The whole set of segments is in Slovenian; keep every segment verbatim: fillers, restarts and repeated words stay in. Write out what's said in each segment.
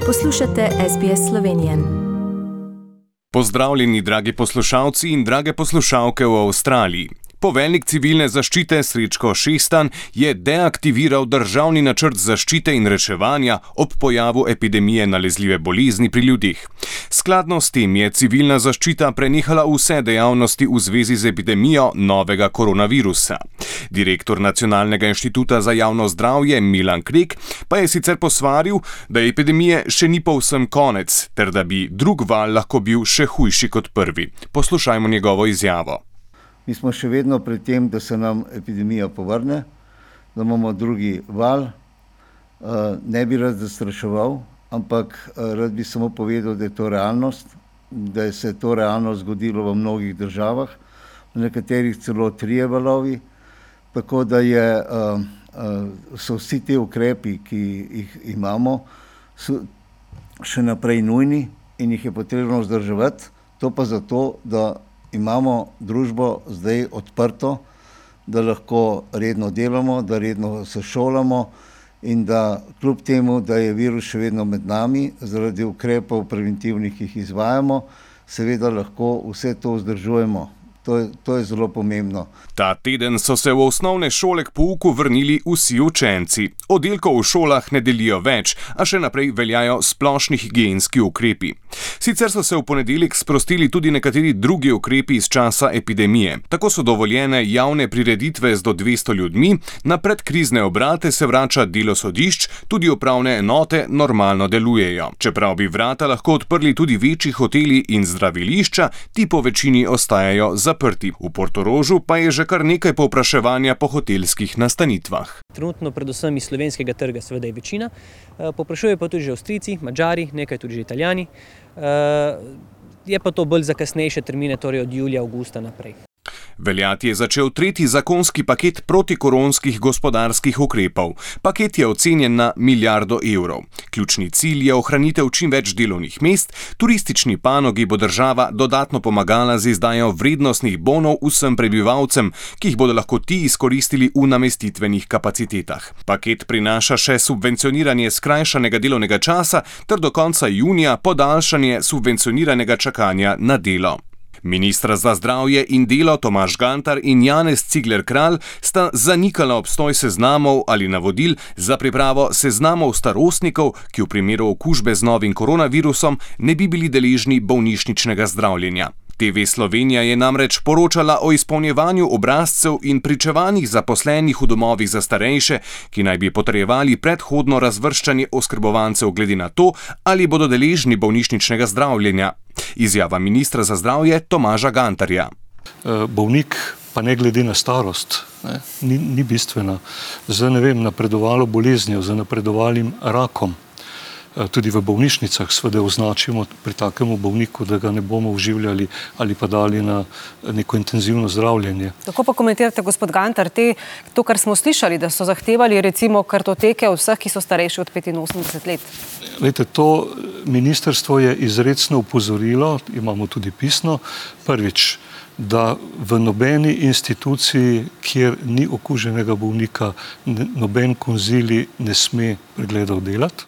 Poslušate S B S Slovenije. Pozdravljeni, dragi poslušalci in drage poslušalke v Avstraliji. Poveljnik civilne zaščite Srečko Šestan je deaktiviral državni načrt zaščite in reševanja ob pojavu epidemije nalezljive bolezni pri ljudeh. Skladno s tem je civilna zaščita prenehala vse dejavnosti v zvezi z epidemijo novega koronavirusa. Direktor Nacionalnega inštituta za javno zdravje Milan Krek pa je sicer posvaril, da epidemije še ni povsem konec, ter da bi drug val lahko bil še hujši kot prvi. Poslušajmo njegovo izjavo. Mi smo še vedno pri tem, da se nam epidemija povrne, da imamo drugi val. Ne bi rad zastraševal, ampak rad bi samo povedal, da je to realnost, da se je to realno zgodilo v mnogih državah, v nekaterih celo trije valovi, tako da je, so vsi te ukrepi, ki jih imamo, so še naprej nujni in jih je potrebno vzdrževati, to pa zato, da imamo družbo zdaj odprto, da lahko redno delamo, da redno se šolamo in da kljub temu, da je virus še vedno med nami, zaradi ukrepov preventivnih, ki jih izvajamo, seveda lahko vse to vzdržujemo. To je, to je zelo pomembno. Ta teden so se v osnovne šole k pouku vrnili vsi učenci. Oddelkov v šolah ne delijo več, a še naprej veljajo splošni higienski ukrepi. Sicer so se v ponedeljek sprostili tudi nekateri drugi ukrepi iz časa epidemije. Tako so dovoljene javne prireditve z do dvesto ljudmi, na predkrizne obrate se vrača delo sodišč, tudi upravne enote normalno delujejo. Čeprav bi vrata lahko odprli tudi večji hoteli in zdravilišča, ti po večini ostajajo zaprti. V Portorožu pa je že kar nekaj povpraševanja po hotelskih nastanitvah. Trenutno predvsem iz slovenskega trga seveda je večina, povprašujejo pa tudi že Avstrijci, Madžari, nekaj tudi že Italijani. Je pa to bolj za kasnejše termine, torej od julija, avgusta naprej. Veljati je začel tretji zakonski paket protikoronskih gospodarskih ukrepov. Paket je ocenjen na milijardo evrov. Ključni cilj je ohranitev čim več delovnih mest, turistični panogi bo država dodatno pomagala z izdajo vrednostnih bonov vsem prebivalcem, ki jih bodo lahko ti izkoristili v namestitvenih kapacitetah. Paket prinaša še subvencioniranje skrajšanega delovnega časa ter do konca junija podaljšanje subvencioniranega čakanja na delo. Ministra za zdravje in delo Tomaž Gantar in Janez Cigler Kralj sta zanikala obstoj seznamov ali navodil za pripravo seznamov starostnikov, ki v primeru okužbe z novim koronavirusom ne bi bili deležni bolnišničnega zdravljenja. T V Slovenija je namreč poročala o izpolnjevanju obrazcev in pričevanjih zaposlenih v domovih za starejše, ki naj bi potrjevali predhodno razvrščanje oskrbovancev glede na to, ali bodo deležni bolnišničnega zdravljenja. Izjava ministra za zdravje Tomaža Gantarja. Bolnik pa ne glede na starost, ne, ni, ni bistvena. Za ne vem, napredovalo boleznijo, za napredovalim rakom. Tudi v bolnišnicah seveda označimo pri takemu bolniku, da ga ne bomo uživljali ali pa dali na neko intenzivno zdravljenje. Tako pa komentirate, gospod Gantar, te, to, kar smo slišali, da so zahtevali recimo kartoteke od vseh, ki so starejši od petinosemdeset let? Lejte, to ministrstvo je izrecno upozorilo, imamo tudi pisno, prvič, da v nobeni instituciji, kjer ni okuženega bolnika, noben konzilij ne sme pregledov delati.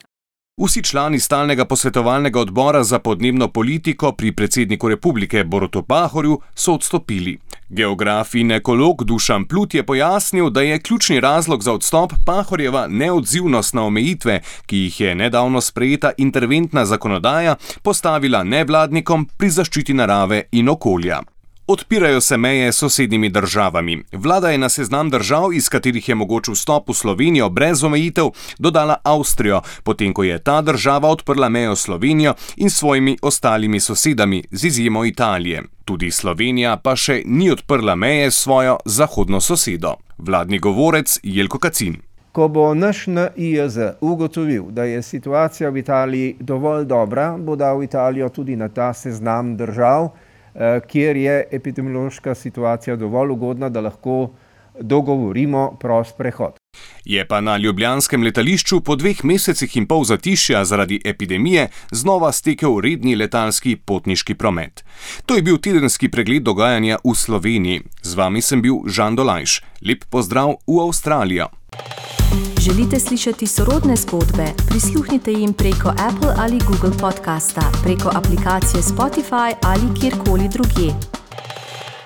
Vsi člani stalnega posvetovalnega odbora za podnebno politiko pri predsedniku republike Borutu Pahorju so odstopili. Geograf in ekolog Dušan Plut je pojasnil, da je ključni razlog za odstop Pahorjeva neodzivnost na omejitve, ki jih je nedavno sprejeta interventna zakonodaja postavila nevladnikom pri zaščiti narave in okolja. Odpirajo se meje s sosednjimi državami. Vlada je na seznam držav, iz katerih je mogoč vstop v Slovenijo brez omejitev, dodala Avstrijo, potem ko je ta država odprla mejo s Slovenijo in svojimi ostalimi sosedami, z izjemo Italije. Tudi Slovenija pa še ni odprla meje s svojo zahodno sosedo. Vladni govorec Jelko Kacin. Ko bo naš N I J Z ugotovil, da je situacija v Italiji dovolj dobra, bo dal Italijo tudi na ta seznam držav, kjer je epidemiološka situacija dovolj ugodna, da lahko dogovorimo prost prehod. Je pa na ljubljanskem letališču po dveh mesecih in pol zatišja zaradi epidemije znova stekel redni letalski potniški promet. To je bil tedenski pregled dogajanja v Sloveniji. Z vami sem bil Žan Dolajš. Lep pozdrav v Avstralijo. Želite slišati sorodne zgodbe? Prisluhnite jim preko Apple ali Google podcasta, preko aplikacije Spotify ali kjerkoli drugje.